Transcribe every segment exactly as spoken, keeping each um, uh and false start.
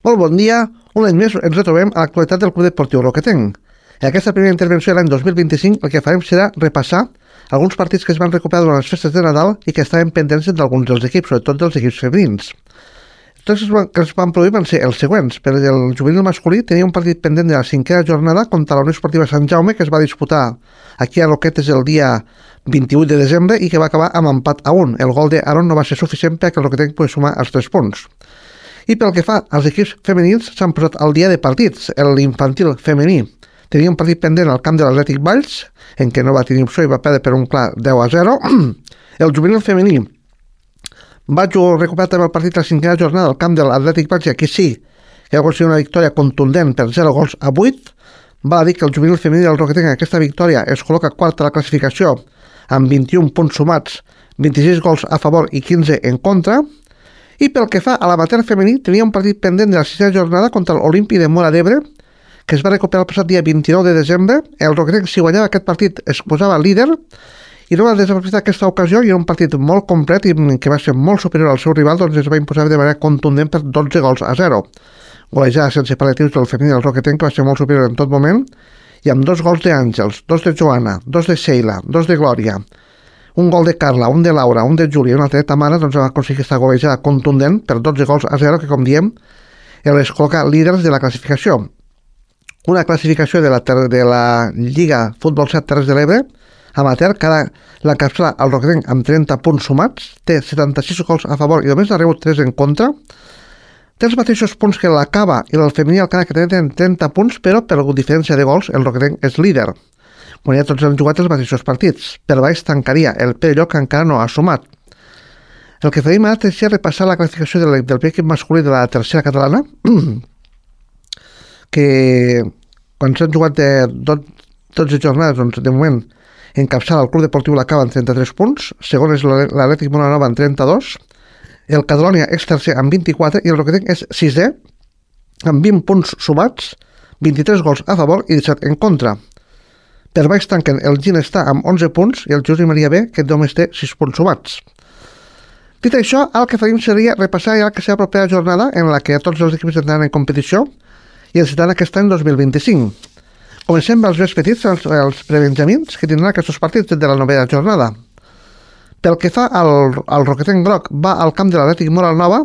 Molt bon dia, un any més ens retrobem a l'actualitat del Club Deportiu Roquetenc. En aquesta primera intervenció de l'any dos mil vint-i-cinc el que farem serà repassar alguns partits que es van recuperar durant les festes de Nadal i que estaven pendents d'alguns dels equips, sobretot dels equips femenins. Els que es van produir van ser els següents. Per el juvenil masculí tenia un partit pendent de la cinquena jornada contra la Unió Esportiva Sant Jaume, que es va disputar aquí a Roquetes el dia vint-i-vuit de desembre i que va acabar amb empat a un. El gol d'Aaron no va ser suficient perquè el Roquetenc pogués sumar els tres punts. I pel que fa als equips femenins, s'han posat al dia de partits. L'infantil femení tenia un partit pendent al camp de l'Atlètic Valls, en què no va tenir opció i va perdre per un clar deu a zero. El juvenil femení va recuperar també el partit a la cinquena jornada al camp de l'Atlètic Valls, i aquí sí que va ser una victòria contundent per zero gols a vuit. Val a dir que el juvenil femení del Roquetenc en aquesta victòria es col·loca quart a la classificació amb vint-i-un punts sumats, vint-i-sis gols a favor i quinze en contra. I pel que fa a l'amateur femení, tenia un partit pendent de la sisena jornada contra l'Olímpic de Móra d'Ebre, que es va recuperar el passat dia vint-i-nou de desembre. El Roquetenc, si guanyava aquest partit, es posava líder, i no va desaprofitar aquesta ocasió, i era un partit molt complet i que va ser molt superior al seu rival, doncs es va imposar de manera contundent per dotze gols a zero. Golejada sense pal·liatius del femení del Roquetenc, que va ser molt superior en tot moment, i amb dos gols d'Àngels, dos de Joana, dos de Sheila, dos de Glòria, un gol de Carla, un de Laura, un de Júlia i una altra de Tamara, doncs va aconseguir aquesta golejada contundent per dotze gols a zero, que, com diem, els col·loca líders de la classificació. Una classificació de la, de la Lliga Futbol set Terres de l'Ebre, amateur, que ara l'encapçala el Roquetenc amb trenta punts sumats, té setanta-sis gols a favor i només ha rebut tres en contra, té els mateixos punts que l'Acaba i el femení Alcana, que tenen trenta punts, però per diferència de gols el Roquetenc és líder. Quan ja tots han jugat els mateixos partits. Per baix tancaria el Perelló, que encara no ha sumat. El que farem ara és repassar la classificació del, del primer equip masculí de la tercera catalana, que quan s'han jugat de dotze jornades, doncs de moment encapçala el Club Deportiu l'Acaba amb trenta-tres punts, segon és l'Atlètic Móra amb trenta-dos, el Cadrònia és tercer amb vint-i-quatre i el Roquetenc és sisè amb vint punts sumats, vint-i-tres gols a favor i disset en contra. Per baix tanquen el Ginestar amb onze punts i el Josep Maria B, que només té sis punts sumats. Dit això, el que faríem seria repassar ja la que serà la propera jornada en la que tots els equips entraran en competició i els estaran aquest any dos mil vint-i-cinc. Comencem amb els més petits, els, els prebenjamins, que tindran aquests partits de la novena jornada. Pel que fa al, al Roquetenc Groc, va al camp de l'Atlètic Moral Nova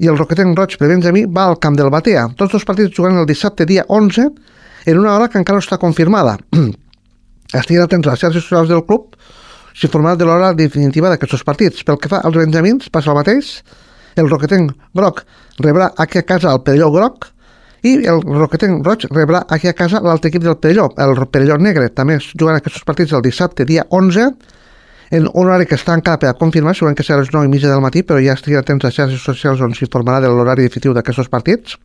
i el Roquetenc Roig prebenjamí va al camp del Batea. Tots dos partits juguen el dissabte dia onze en una hora que encara no està confirmada. Estiguin atents a les xarxes socials del club, s'informarà de l'hora definitiva d'aquests partits. Pel que fa als benjamins, passa el mateix. El Roquetenc Groc rebrà aquí a casa el Perelló Groc i el Roquetenc Roig rebrà aquí a casa l'altre equip del Perelló, el Perelló Negre. També es juguen aquests partits el dissabte, dia onze, en un horari que està encara per a confirmar, segurament que serà a les nou i mitja del matí, però ja estiguin atents a les xarxes socials on s'informarà de l'horari definitiu d'aquests partits.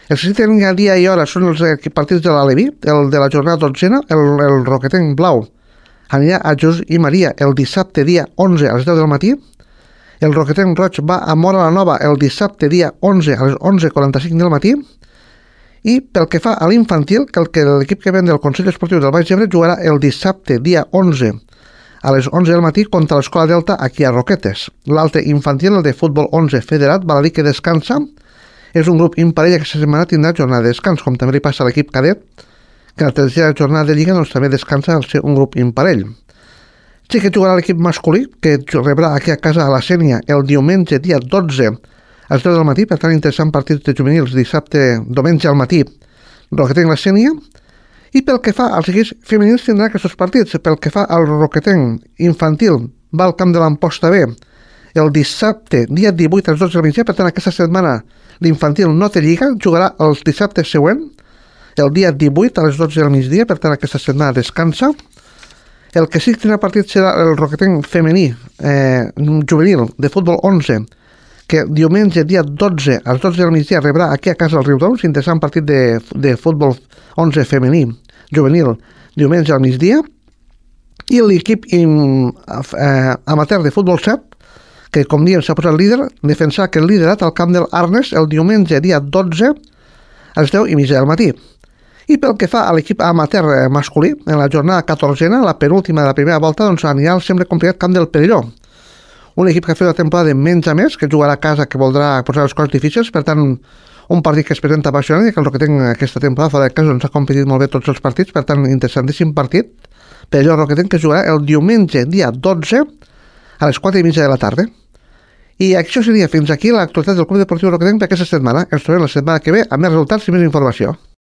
Els que sí tenen dia i hora són els partits de l'Aleví, el de la jornada dotzena, el, el Roquetenc Blau anirà a Jesús i Maria el dissabte dia onze a les deu del matí, el Roquetenc Roig va a Móra la Nova el dissabte dia onze a les onze quaranta-cinc del matí, i pel que fa a l'infantil, que el que l'equip que ven del Consell Esportiu del Baix Ebre jugarà el dissabte dia onze a les onze del matí contra l'Escola Delta aquí a Roquetes. L'altre infantil, el de futbol onze federat, val a dir que descansa. És un grup imparell que aquesta setmana tindrà jornada de descans, com també li passa a l'equip cadet, que la tercera jornada de Lliga doncs, també descansa al ser un grup imparell. Sí que jugarà l'equip masculí, que rebrà aquí a casa a la Sénia el diumenge dia dotze a les deu del matí, per tant interessant partits de juvenils dissabte, diumenge al matí, Roquetenc la Sénia. I pel que fa als equips femenins tindrà aquests partits. Pel que fa al Roquetenc infantil, va al camp de l'Amposta B el dissabte, dia divuit a les dotze del migdia, per tant aquesta setmana l'infantil no té lliga, jugarà el dissabte següent, el dia divuit a les dotze del migdia, per tant aquesta setmana descansa. El que sí que tindrà partit serà el Roquetenc femení, eh, juvenil, de futbol onze, que diumenge, dia dotze a les dotze del migdia, rebrà aquí a casa el Riudoms, interessant partit de, de futbol onze femení, juvenil, diumenge al migdia, i l'equip eh, amateur de futbol set, que com diem s'ha posat líder, defensar que el liderat al camp del Arnes el diumenge dia dotze a les deu i mitja del matí. I pel que fa a l'equip amateur masculí, en la jornada catorzena, la penúltima de la primera volta, doncs anirà al sempre complicat camp del Perelló. Un equip que ha fet una temporada de menys a més, que jugarà a casa, que voldrà posar les coses difícils, per tant, un partit que es presenta apassionant i que el Roquetenc aquesta temporada fora de casa doncs, ha competit molt bé tots els partits, per tant, interessantíssim partit per allò el Roquetenc que jugarà el diumenge dia dotze a les quatre i mitja de la tarda. I això seria fins aquí l'actualitat del Club Deportiu Roquetenc per aquesta setmana. Ens trobem la setmana que ve amb més resultats i més informació.